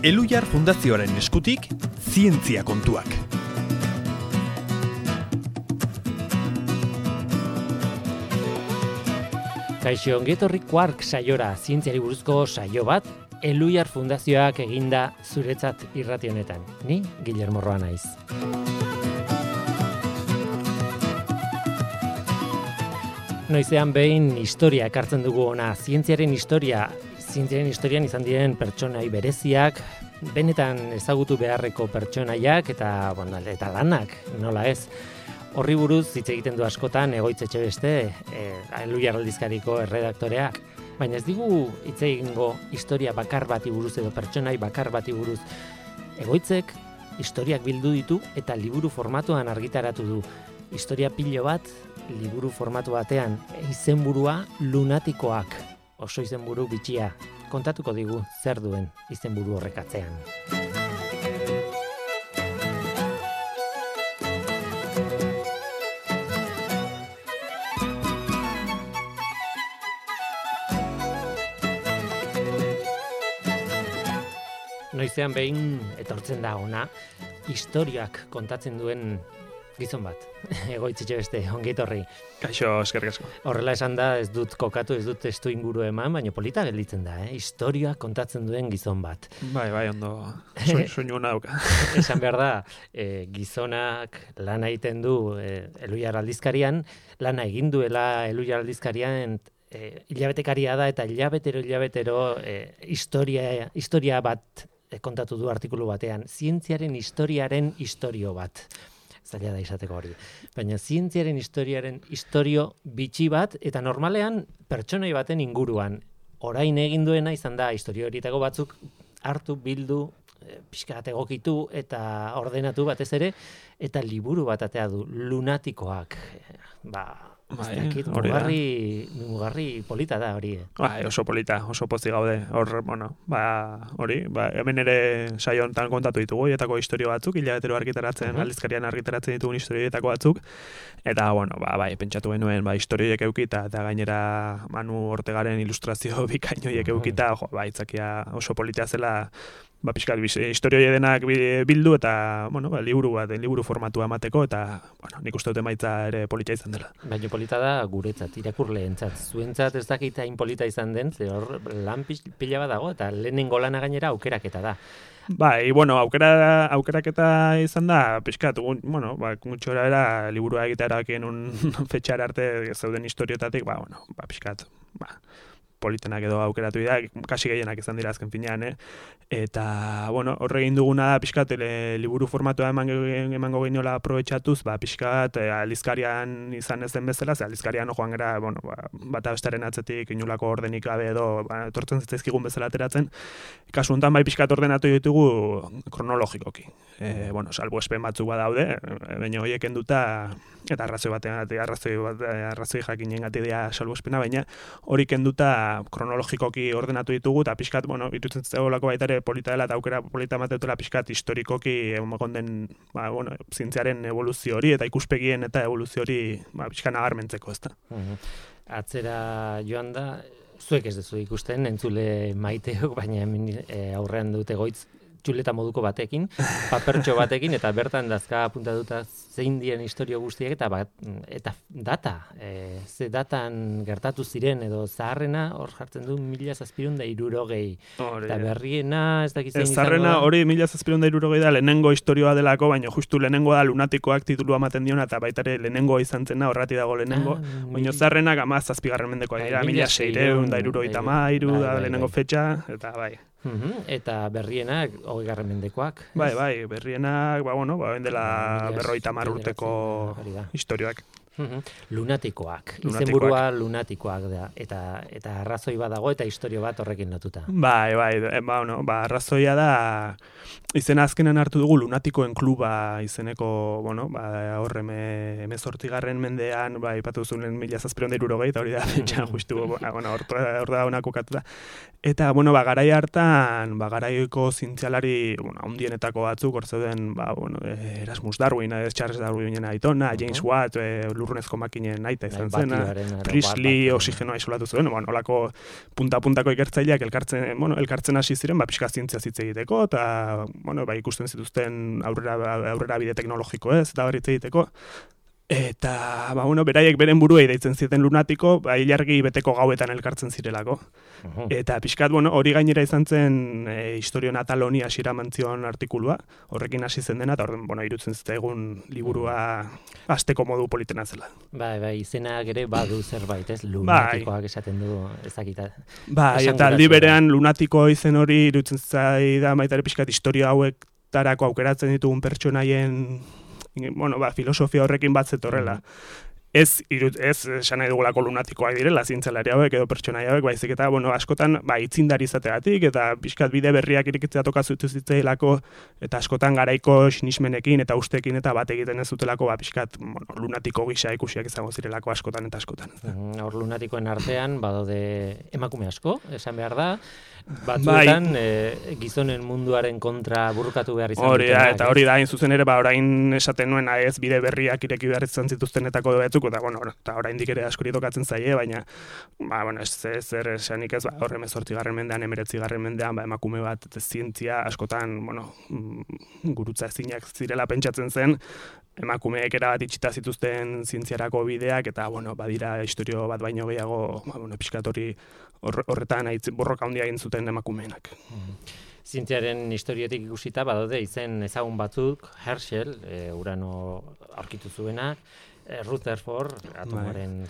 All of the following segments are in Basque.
Elhuyar Fundazioaren eskutik, zientzia kontuak. Kaixo, ongetorri Quark saiora, zientziari buruzko saio bat, Elhuyar Fundazioak eginda zuretzat irrati honetan. Ni, Guillermo Roa naiz. Noizean behin historia ekartzen dugu ona, zientziaren historian izan diren pertsonai bereziak, benetan ezagutu beharreko pertsonaiak eta lanak, nola ez. Horri buruz hitz egiten du askotan Egoitz Etxebeste, Elhuyar aldizkariko erredaktoreak, baina ez digu hitz egingo historia bakar bati buruz edo pertsonai bakar bati buruz. Egoitzek historiak bildu ditu eta liburu formatuan argitaratu du. Historia pilo bat, liburu formatu batean, izenburua Lunatikoak. Oso izenburu bitxia. Kontatuko digu zer duen izenburu horrek atzean. Noizean behin etortzen da ona, historiak kontatzen duen gizon bat. Egoitz Etxebeste, ongi etorri. Kaixo, eskerrik asko. Horrela esan da, ez dut kokatu, ez dut testu inguru eman, baina polita gelditzen da, historiak kontatzen duen gizon bat. Bai, ondo, soinu hona dauka. Esan behar da, gizonak lana egiten du Elhuyar aldizkarian, lana egin duela Elhuyar aldizkarian, hilabetekaria da eta hilabetero historia bat kontatu du artikulu batean, zientziaren historiaren istorio bat. Zaila da izateko hori. Baina zientziaren historiaren istorio bitxi bat, eta normalean pertsonai baten inguruan. Orain egin duena izan da istorio horietako batzuk hartu, bildu, pixka bat egokitu eta ordenatu batez ere, eta liburu bat atea du, Lunatikoak. Mugarri polita da hori. Oso polita, oso pozik gaude. Hemen ere saio honetan kontatu ditugu, hietako historio batzuk, hilabetero argitaratzen, aldizkarian argitaratzen ditugun historioetako batzuk, eta, pentsatu genuen, historioiek eukita, eta gainera Manu Ortegaren ilustrazio bikainoiek eukita, itzakia oso polita zela, pixkat, historioi denak bildu eta, liburu formatua emateko eta, nik uste dut emaitza ere polita izan dela. Baina polita da guretzat, irakurleentzat. Zuentzat ez dakit hain polita izan den, ze hor lan pila bat dago eta lehenengo lana gainera aukeraketa da. Aukeraketa izan da, pixkat, gutxora era liburua egitea erabakien fetxara arte zeuden historiotatik, pixkat, politenak edo aukeratu dira, kasi gehienak izan dira azken finean, Eta, horre egin duguna da, pixkat, liburu formatua emango geniola aprobetxatuz, pixkat, aldizkarian izan ez den bezala, aldizkarian joan gara, bata bestaren atzetik, inolako ordenik gabe edo, etortzen zitzaizkigun bezala ateratzen. Kasu honetan, pixkat ordenatu ditugu kronologikoki. Salbuespen batzuk badaude, baina horiek enduta, eta arrazoi jakinen gati dira salbuespena, baina hori kenduta kronologikoki ordenatu ditugu, eta pixkat, irutzen zegoelako baita ere polita dela, eta aukera polita emateutela pixkat historikoki egon den, zientziaren evoluzio hori, eta ikuspegien eta evoluzio hori pixkat nagarmentzeko, ezta. Atzera joan da, zuek ez duzu ikusten, entzule maiteok, baina aurrean dute Egoitz txuleta moduko batekin, papertxo batekin, eta bertan dazka apuntatuta zein dien historio guztiak, eta data, ze datan gertatu ziren, edo zaharrena, hor jartzen du 1760. Eta berriena, ez dakitzen izango da. Zaharrena hori 1760 da, lehenengo historioa delako, baina justu lehenengo da Lunatikoak titulua ematen diona, eta baita ere lehenengo izan zena, horrati dago lehenengo, baina zaharrenak 17. mendekoa dira, 1673 da lehenengo fetxa, eta bai. Eta berrienak 20. mendekoak. Bai, berrienak, dela 50 urteko historioak. Lunatikoak. Izenburua Lunatikoak da. Eta arrazoi bat dago eta historio bat horrekin lotuta. Bai, arrazoia da izena azkenan hartu dugu Lunatikoen kluba izeneko, horre 18. mendean, ipatu zuen 1760 eta hori da pentsa justu, hor da honako katuta. Eta, garai hartan, garaiko zientzialari, handienetako batzuk, hor zeuden, Erasmus Darwin, Charles Darwinen aitona, James Watt, lurrunezko makinen aita izan zen. Batioaren, Priestley oxigenoa isolatu zuen, olako punta-puntako ikertzaileak elkartzen hasi ziren, pixka zientzia hitz egiteko, eta, ikusten zituzten aurrera bide teknologiko ez, eta hitz egiteko. Eta, beraiek beren buruei deitzen zieten lunatiko, ilargi beteko gauetan elkartzen zirelako. Eta pixkat, hori gainera izan zen historio natal honi hasiera mantzion artikulua, horrekin hasi zen dena, eta irutzen zitaigun liburua hasteko modu politena zela. Bai, izenak ere badu zerbait, ez? Lunatikoak esaten du ezakita. Eta aldi berean lunatiko izen hori irutzen zaida baita ere pixkat historia hauek tarako aukeratzen ditugun pertsonaien filosofia horrekin bat zetorrela. Ez esan nahi dugulako lunatikoak direla, zientzialari hauek edo pertsonaia hauek, baizik eta, askotan, itzindari izategatik, eta pixkat bide berriak irikitzea tokazutu zitzailako, eta askotan garaiko sinismenekin eta ustekin eta bat egiten ez zutelako, pixkat, lunatiko gisa ikusiak izango zirelako askotan eta askotan. Hor lunatikoen artean, badaude emakume asko, esan behar da, batzuetan gizonen munduaren kontra burrukatu behar izan dutenak. Eta hori da, hain zuzen ere, orain esaten nuen ez bide berriak ireki behar izan zituztenetako batzuk, eta oraindik ere askori tokatzen zaie, baina zer esanik ez, horre 18. mendean, 19. mendean, emakume bat zientzia askotan, gurutza ezinak zirela pentsatzen zen, emakumeek erabat itxita zituzten zientziarako bideak, eta badira historio bat baino gehiago, pixkat hori horretan borroka handia egin zuten emakumeenak. Zientziaren historiotik ikusita badaude izen ezagun batzuk, Herschel, urano aurkitu zuenak, Rutherford, atomoaren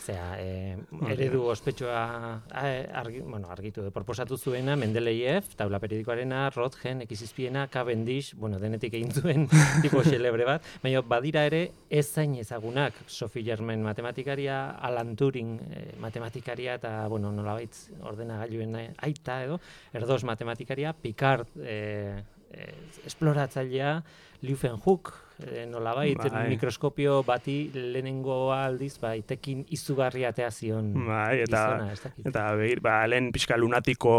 eredu ospetsua argitu proposatu zuena, Mendeleev, taula periodikoarena, Röntgen, X-izpiena, Cavendish, denetik egin zuen tipo xelebre bat, baina badira ere ez zain ezagunak, Sophie Germain matematikaria, Alan Turing matematikaria, eta nolabait ordenagailuen aita edo, Erdos matematikaria, Picard esploratzailea, Leeuwenhoek, nolabait, mikroskopio bati lehenengo aldiz, tekin izugarria atea zion izona, ez dakit. Eta lehen pixka lunatiko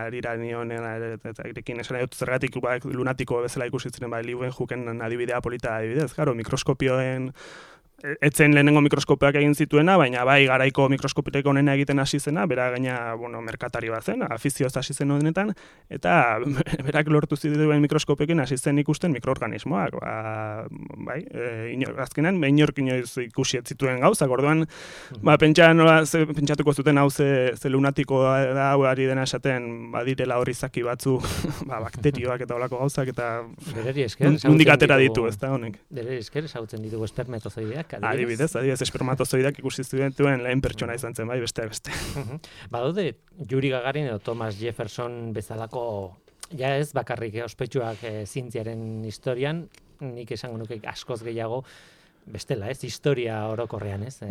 arira nion, eta irekin esan dut zergatik lunatiko bezala ikusi ziren, Leeuwenhoeken adibidea polita adibidez, mikroskopioen etzen lehenengo mikroskopioak egin zituena, baina garaiko mikroskopioak onena egiten hasi zena, bera gaina, merkatari bat zen, afizioz hasi zen honetan, eta berak lortu zituen mikroskopioekin hasi zen ikusten mikroorganismoak, azkenan, inork inoiz ikusi ez zituen gauzak, orduan, pentsatuko zuten hau ze lunatiko da, ari dena esaten, badirela hori zaki batzu, bakterioak eta olako gauzak, eta nondik atera ditu, ez da, honek. Berari esker, ezagutzen ditugu espermatozoideak, Adibidez, espermatozoidak ikusi zituen lehen pertsona izan zen, beste. Badaude, Yuri Gagarin edo Thomas Jefferson bezalako, ja ez bakarrik ospetsuak zientziaren historian, nik esango nuke askoz gehiago, bestela, ez, historia orokorrean, ez?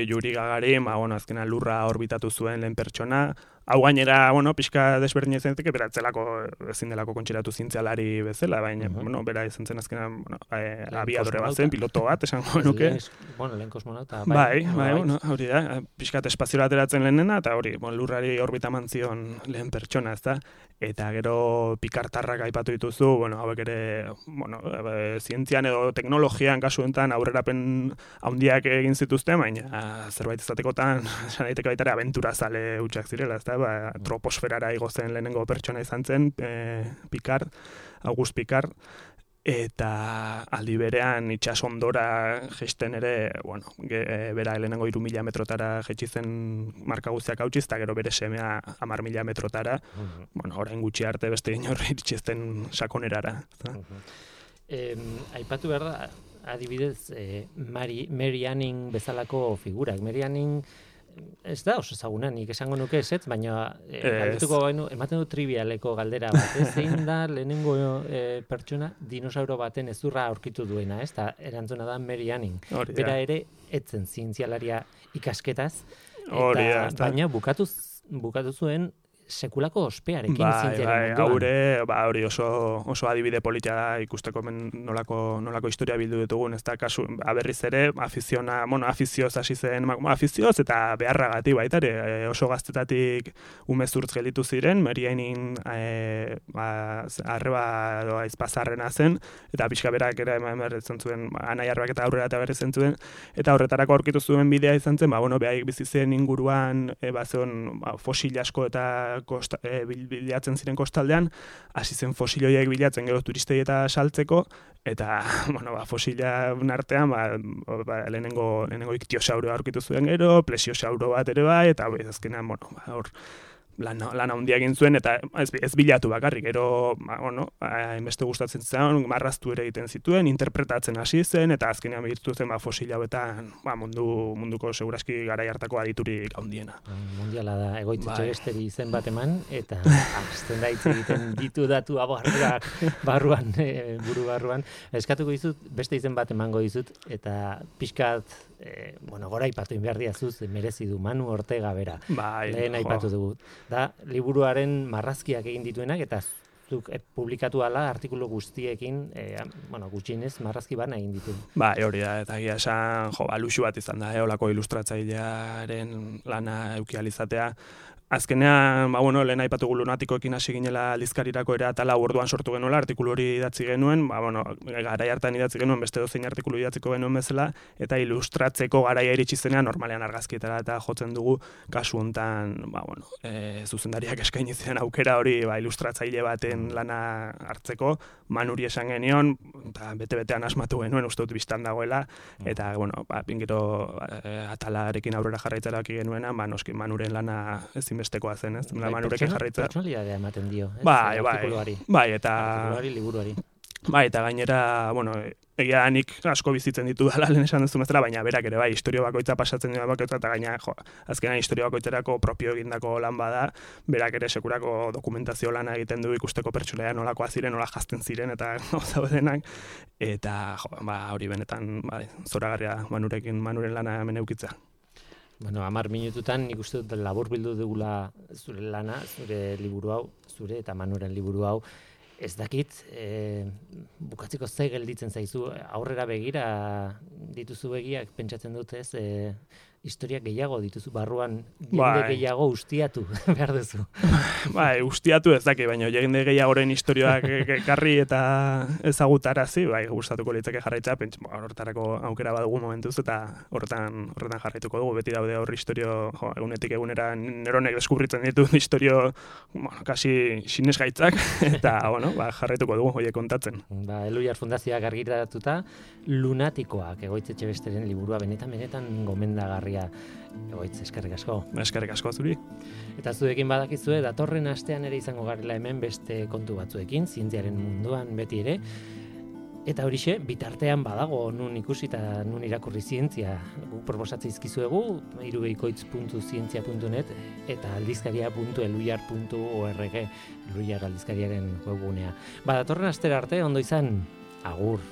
Yuri Gagarin, azkenan lurra orbitatu zuen lehen pertsona, hau gainera, pixka desberdin izan zenteke, beratzelako ezin delako kontxeratu zientzialari bezala, baina, bera izan zen azkenan, abiadore bat zen, piloto bat, esango nuke. Lehen kosmonauta. Hori da, pixkat espaziora ateratzen lehenena, eta hori, lurrari orbita mantzion lehen pertsona, ez da, eta gero pikartarrak aipatu dituzu, hauek ere, zientzian edo teknologian kasu enten aurrerapen handiak egin zituzten, baina zerbait izatekotan, esan daiteke baita ere abentura zale hutsak zirela, ez da, troposferara igo zen lehenengo pertsona izan zen, August Picard, eta aldi berean itsasondora jeisten ere, bera lehenengo 3.000 metrotara jetsi zen marka guztiak hautsiz, eta gero bere semea 10.000 metrotara, orain gutxi arte beste inorri iritsi sakonerara. Aipatu behar da, adibidez, Mary Anning bezalako figurak. Mary Anning ez da oso ezaguna, nik esango nuke ezetz, baina ematen du trivialeko galdera bat, zein da lehenengo pertsona dinosauro baten ezurra aurkitu duena, ez da, erantzuna da Mary Anning. Bera ere, etzen zientzialaria ikasketaz, baina bukatu zuen sekulako ospearekin zientziaren munduan. Hori oso adibide politia da ikusteko nolako historia bildu ditugun, ez da kasu, berriz ere, afizioz hasi zen, afizioz eta beharragatik baita ere, oso gaztetatik umezurtz gelditu ziren, Meriainin arreba aizpazarrena zen, eta pixka berak ere emerretzen zuen, anai arbak eta aurrera eta berrezen zuen, eta horretarako aurkitu zuen bidea izan zen, behaik bizi zen inguruan, fosil asko eta bilatzen ziren kostaldean, hasi zen fosil horiek bilatzen gero turistei eta saltzeko, eta fosila artean lehenengo iktiosauro aurkitu zuen gero, plesiosauro bat ere bai, eta azkenean hor lan handia egin zuen, eta ez bilatu bakarrik, gero, hainbeste gustatzen zen, marraztu ere egiten zituen, interpretatzen hasi zen, eta azkenean bihurtu zen fosil hauetan munduko seguraski garai hartako aditurik handiena. Mundiala da, Egoitz Etxebesteri izen bat eman, eta hasten da hitz egiten ditu datu abarrak barruan, buru barruan. Eskatuko dizut, beste izen bat emango dizut, eta pixkat, gora aipatu behar diazuz, merezi du Manu Ortega bera. Lehen aipatu dugu. Da, liburuaren marrazkiak egin dituenak, eta zuk publikatu ala artikulu guztiekin, gutxienez marrazki bana egin ditu. Hori da, eta egia esan, luxu bat izan da, olako ilustratzailearen lana eukializatea. Azkenean, lehen aipatugu lunatikoekin hasi ginela aldizkarirako ere atala orduan sortu genuela, artikulu hori idatzi genuen, garai hartan idatzi genuen beste dozein artikulu idatziko genuen bezala, eta ilustratzeko garaia iritsi zenean normalean argazkietara eta jotzen dugu kasu hontan, zuzendariak eskaini ziren aukera hori ilustratzaile baten lana hartzeko, Manuri esan genion, eta bete-betean asmatu genuen, uste dut biztan dagoela, eta, gero atalarekin aurrera jarraitzaraki genuena, noski Manuren lana ezinbestekoa zen, ez? Manurekin jarraitza. Pertsonalidadea ematen dio, ez? Artikuluari, liburuari. Eta gainera, egia nik asko bizitzen ditu dala lehen esan duzu bezala, baina berak ere historio bakoitza pasatzen dira bakoitza, eta gaina, azkenan historio bakoitzerako propio egindako lan bada, berak ere sekurako dokumentazio lana egiten du ikusteko pertsonaia nolakoa ziren, nola jazten ziren, eta gauza denak, eta hori benetan, zoragarria Manuren lana hemen eukitza. 10 minututan nik uste dut labur bildu dugula zure lana, zure liburu hau, zure eta Manuren liburu hau. Ez dakit, bukatzeko ze gelditzen zaizu, aurrera begira dituzu begiak, pentsatzen dut ez, historia gehiago dituzu, barruan jende gehiago ustiatu behar duzu. Ustiatu ez daki, baina jende gehiagoren historioak ekarri eta ezagutarazi, gustatuko litzake jarraitza, horretarako aukera badugu momentuz, eta horretan jarraituko dugu, beti daude horri historio, egunetik egunera neronek deskubritzen ditu historio, kasi sinesgaitzak, eta, jarraituko dugu, horiek kontatzen. Eluiar Fundazioak argitaratuta, Lunatikoak, Egoitz Etxebesteren liburua benetan gomendagarria. Egoitz, eskerrik asko. Eskerrik asko zuri. Eta zuekin badakizue, datorren astean ere izango garela hemen beste kontu batzuekin, zientziaren munduan beti ere. Eta horixe, bitartean badago nun ikusi eta nun irakurri zientzia. Guk proposatzen izkizuegu, irubeikoitz.zientzia.net eta aldizkaria.eluiar.org, Eluiar aldizkariaren webgunea. Datorren astera arte, ondo izan, agur.